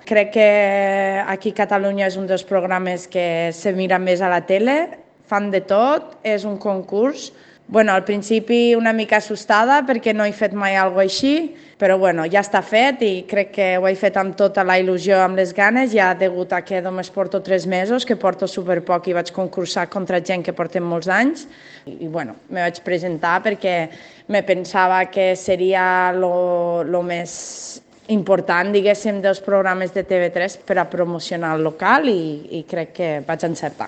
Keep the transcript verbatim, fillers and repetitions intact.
Crec que aquí a Catalunya és un dels programes que se mira més a la tele, fan de tot, és un concurs. Bueno, al principi una mica assustada perquè no he fet mai alguna cosa així, però bueno, ja està fet i crec que ho he fet amb tota la il·lusió, amb les ganes, ja degut a que només porto tres mesos, que porto superpoc i vaig concursar contra gent que porten molts anys. I, i bueno, me vaig presentar perquè me pensava que seria lo, lo més important, diguéssim, dels programes de T V tres per a promocionar el local i, i crec que vaig encertar.